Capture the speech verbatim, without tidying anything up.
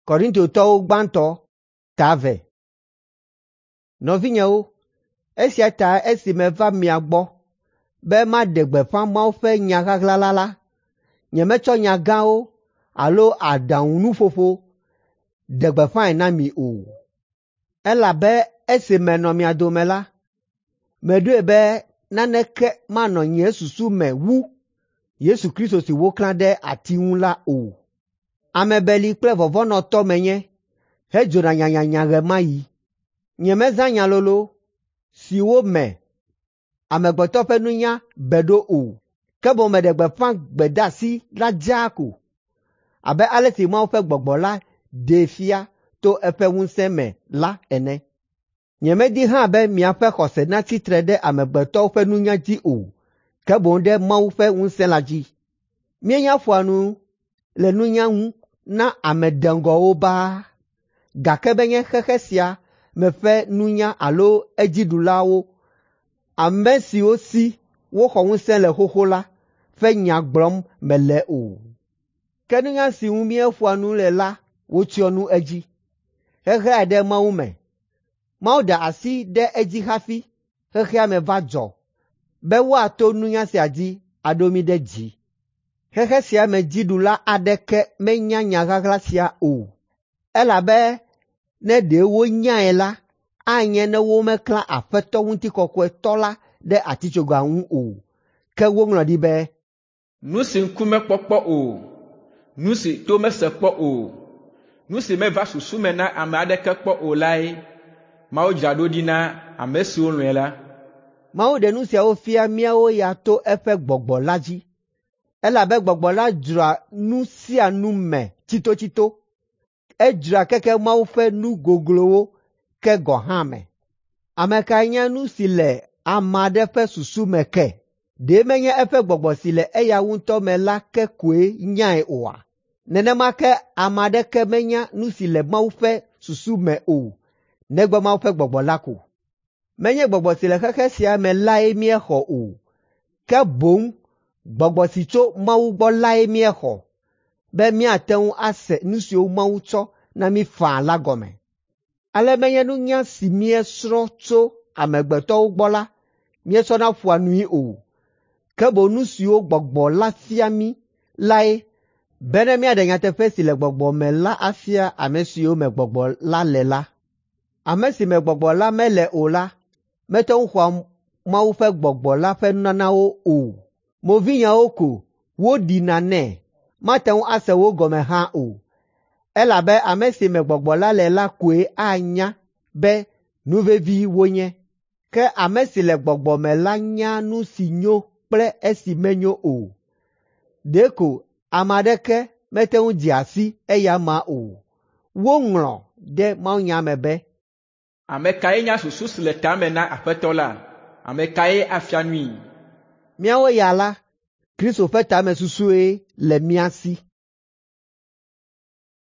Korintotɔwo gbãtɔ ta eve. Nɔvinyewo, esia ta esi meva mia gbɔ be maɖe gbeƒã Mawu ƒe nya ɣaɣla la la, nyemetsɔ nya gãwo alo aɖaŋunuƒoƒo ɖe gbeƒãe na mi o. Elabe esi menɔ mia dome la, meɖoe be naneke manɔ nye susu me wu Yesu Kristo si woklã ɖe ati ŋu la o. Ame beli kple vɔvɔ̃nɔtɔ menye hedzona nyanyanya ɣe ma ɣi. Nyemezã nya lolo siwo me amegbetɔ ƒe nunya be ɖo o, ke boŋ meɖe gbeƒã gbedeasi la dzaa ko abe ale si Mawu ƒe Gbɔgbɔ la ɖee fia to eƒe ŋusẽ me la ene. Nyemedi hã be miaƒe xɔse natsi tre ɖe amegbetɔwo ƒe nunya dzi o, ke boŋ ɖe Mawu ƒe ŋusẽ la dzi. Míenya ƒoa nu le nunya ŋu na ame deŋgɔwo baa, gake menye xexe sia me ƒe nunya alo edziɖulawo, ame siwo si woxɔ ŋusẽ le xoxo la ƒe nya gblɔm mele o. Ke nunya si ŋu míeƒoa nu le la wotsyɔ nu edzi, heɣlae ɖe Mawu me. Mawu da asi ɖe edzi hafi xexea me va dzɔ be woato nunya sia dzi aɖo mí ɖe dzi. Xexe sia me dziɖula aɖeke menya nya ɣaɣla sia o, elabe ne ɖe wonyae la, anye ne womeklã Aƒetɔ Ŋutikɔkɔetɔ la ɖe atitsoga ŋu o. Ke woŋlɔ ɖi be, Nu si ŋku mekpɔ kpɔ o, nu si to mese kpɔ o, nu si meva susu me na ame aɖeke kpɔ o lae Mawu dzra ɖo ɖi na ame siwo lɔ̃e la. Mawu ɖe nu siawo fia míawo ya to eƒe Gbɔgbɔ la dzi, elabe Gbɔgbɔ la dzroa nu sia nu me tsitotsito. Edzroa keke Mawu ƒe nu goglowo ke gɔ̃ hã me. Ame kae nya nu si le ame aɖe ƒe susu me ke? Ɖe menye eƒe gbɔgbɔ si le eya ŋutɔ me la ke koe nyae oa? Nenema ke ame aɖeke menya nu si le Mawu ƒe susu me o, negbe Mawu ƒe Gbɔgbɔ la ko. Menye gbɔgbɔ si le xexe sia me lae míexɔ o, ke boŋ Gbɔgbɔ si tso Mawu gbɔ lae míexɔ, be míate ŋu ase nu siwo Mawu tsɔ na mí faa la gɔme. Ale menye nunya si míesrɔ̃ tso amegbetɔwo gbɔ la míetsɔna ƒoa nui o, ke boŋ nu siwo Gbɔgbɔ la fia mí lae bene míaɖe nyateƒe si le Gbɔgbɔ me la afia ame siwo me Gbɔgbɔ la le la. Ame si me Gbɔgbɔ la mele o la mete ŋu xɔa Mawu ƒe Gbɔgbɔ la ƒe nunanawo o. Movinyawo ko woɖina nɛ, mate ŋu ase wo gɔme hã o, elabe ame si me Gbɔgbɔ la le la koe anya be nu vevi wonye. Ke ame si le Gbɔgbɔ me la nya nu si nyo kple esi menyo o. Ɖeko ame aɖeke mete ŋu dzea si eya amea o. Woŋlɔ ɖe mawunya me be, Ame kae nya susu si le ta me na Aƒetɔ la? Ame kae afia nui? Míawo ya la, Kristo ƒe tamesusue le mía si.